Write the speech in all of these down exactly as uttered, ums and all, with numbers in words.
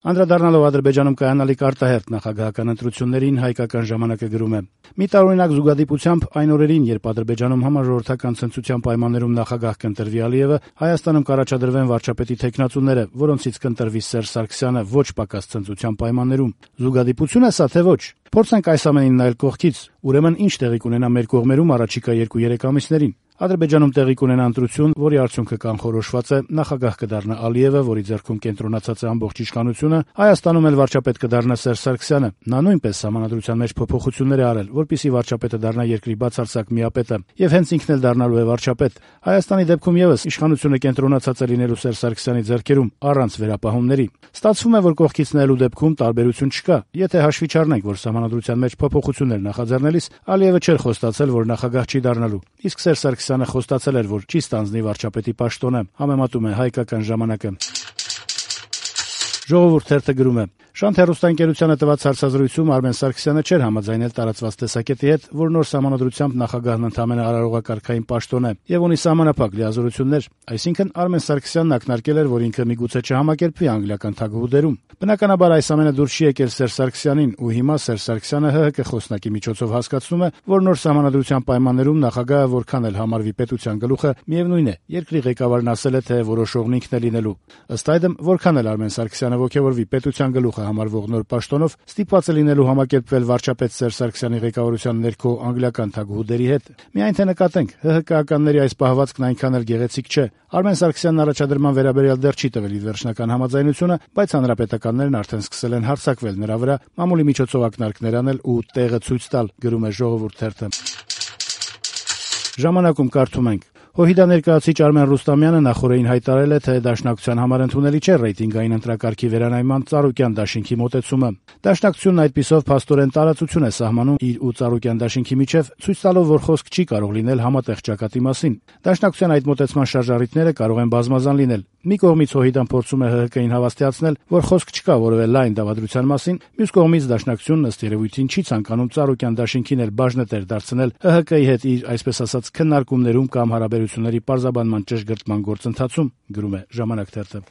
Անդրադառնալով Ադրբեջանում կայանալիք արտահերթ նախագահական ընտրություններին, հայկական ժամանակը գրում է. «Մի տարօրինակ զուգադիպությամբ այն օրերին, երբ Ադրբեջանում համաժողովրդական ցնծության պայմաններում նախագահ կընտրվի Ալիևը, Հայաստանում կառաջադրվեն վարչապետի թեկնածուները, որոնցից կընտրվի Սերժ Սարգսյանը ոչ պակաս ցնծության պայմաններում։ Զուգադիպություն է սա, թե ոչ։ Փորձենք այս ամենին նայել կողքից։ Ուրեմն ինչ տեղի կունենա մեր կողմերում առաջիկա երկու-երեք ամիսներին։ Ադրբեջանում տեղի կունենա ընտրություն, որի արդյունքը կանխորոշված է, նախագահ կդառնա Ալիևը, որի ձեռքում կենտրոնացած է ամբողջ իշխանությունը, Հայաստանում էլ վարչապետ կդառնա Սերժ Սարգսյանը։ Նա նույնպես սահմանադրության մեջ փոփոխություններ է արել, որպեսզի վարչապետը դառնա երկրի բացարձակ միապետը, եւ հենց ինքն էլ դառնալու է վարչապետ։ Հայաստանի դեպքում եւս իշխանությունը կենտրոնացած է լինելու Սերժ Սարգսյանի ձեռքերում, առանց վերապահումների։ Ստացվում է, որ կողքից նայելու դեպքում տարբերություն չկա։ Եթե հաշվի չառնենք, որ սահմանադրության մեջ փոփոխություններ նախաձեռնելիս Ալիևը չէր խոստացել, որ նախագահ չի դառնալու, իսկ Սերժ Սարգսյանը խոստացել էր, որ չի ստանձնի վարչապետի պաշտոնը, համեմատում է հայկական ժամանակը։ Ժողովուրդ թերթը գրում է. «Շանթ հեռուստաընկերությանը տված հարցազրույցում Արմեն Սարգսյանը չէր համաձայնել տարածված տեսակետի հետ, որ նոր սահմանադրությամբ նախագահն ընդամենը արարողակարգային պաշտոն է եւ ունի սահմանափակ լիազորություններ, այսինքն Արմեն Սարգսյանն ակնարկել էր, որ ինքը միգուցե չհամակերպվի անգլիական թագուհուդերում։ Բնականաբար այս ամենը դուրս չի եկել Սերժ Սարգսյանին, ու հիմա Սերժ Սարգսյանը ՀՀԿ խոսնակի միջոցով հասկացնում է, որ նոր սահմանադրության պայմաններում նախագահը որքան էլ համարվի պետության գլուխը, միևնույն է, երկրի ղեկավարն ասել է, թե որոշողն ինքն է լինելու։ Ըստ այդմ, որքան էլ Արմեն Սարգսյանը ոգևորվի պետության գլուխը համարվող նոր պաշտոնով, ստիպված է լինելու համակերպվել վարչապետ Սերժ Սարգսյանի ղեկավարության ներքո անգլիական թագուհուդերի հետ։ Միայն թե նկատենք, ՀՀԿ-ականների այս պահվածքն այնքան էլ գեղեցիկ չէ։ Արմեն Սարգսյանն առաջադրման վերաբերյալ դեռ չի տվել իր վերջնական համաձայնությունը, բայց հանրապետականներն արդեն սկսել են հարձակվել նրա վրա, մամուլի միջոցով ակնարկներ անել ու տեղը ցույց տալ, գրում է Ժողովուրդ թերթը։ Ժամանակում կարդում ենք. «Հոհիդա ներկայացուցիչ Արմեն Ռուստամյանը նախօրեին հայտարարել է, թե Դաշնակցության համար ընդունելի չէ ռեյտինգային ընտրակարգի վերանայման Ծառուկյան դաշինքի մոտեցումը։ Դաշնակցությունն այդպիսով փաստորեն տարածություն է սահմանում իր ու Ծառուկյան դաշինքի միջև, ցույց տալով, որ խոսք չի կարող լինել համատեղ ճակատի մասին։ Դաշնակցության այդ մոտեցման շարժառիթները կարող են բազմազան լինել։ Մի կողմից Հոհիդան փորձում է ՀՀԿ-ին հավաստիացնել, որ խոսք չկա որևէ լայն դավադրության մասին, մյուս կողմից Դաշնակցությունն ըստ երևույթին չի ցանկանում Ծառուկյան դաշինքին էլ բաժնետեր դարձնել ՀՀԿ-ի հետ իր, այսպես ասած, քննարկումներում կամ հարաբերությունների պարզաբանման ճշգրտման գործընթացում», գրում է Ժամանակ թերթը։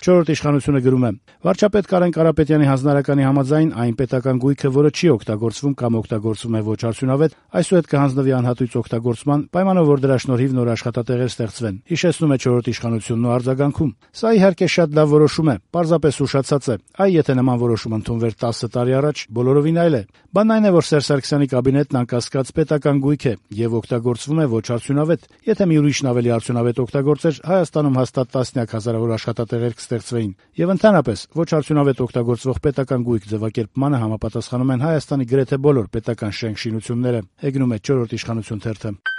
Չորրորդ իշխանությունը գրում է. «Վարչապետ Կարեն Կարապետյանի հանձնարարականի համաձայն այն պետական գույքը, որը չի օգտագործվում կամ օգտագործվում է ոչ արդյունավետ, այսուհետ կհանձնվի անհատույց օգտագործման, պայմանով որ դրա շնորհիվ նոր աշխատատեղեր ստեղծվեն», հիշեցնում է չորրորդ իշխանությունն ու արձագանքում. «Սա իհարկե շատ լավ որոշում է, պարզապես ուշացած է։ Այ եթե նման որոշում ընդունվեր տասը տարի առաջ, բոլորովին այլ է։ Բանն այն է, որ Սերժ Սարգսյանի կաբինետն անկասկած պետական գույք է եւ օգտագործվում է ոչ արդյունավետ։ Եթե մի ուրիշն ավելի արդյունավետ օգտագործեր, Հայաստանում հաստատ տասնյակ հազարավոր աշխատատեղեր կստեղծվեին։ Եվ ընդհանրապես, ոչ արդյունավետ օգտագործվող պետական գույք ձևակերպմանը համապատասխանում են Հայաստանի գրեթե բոլոր պետական շենք շինությունները», հեգնում է չորրորդ իշխանություն թերթը։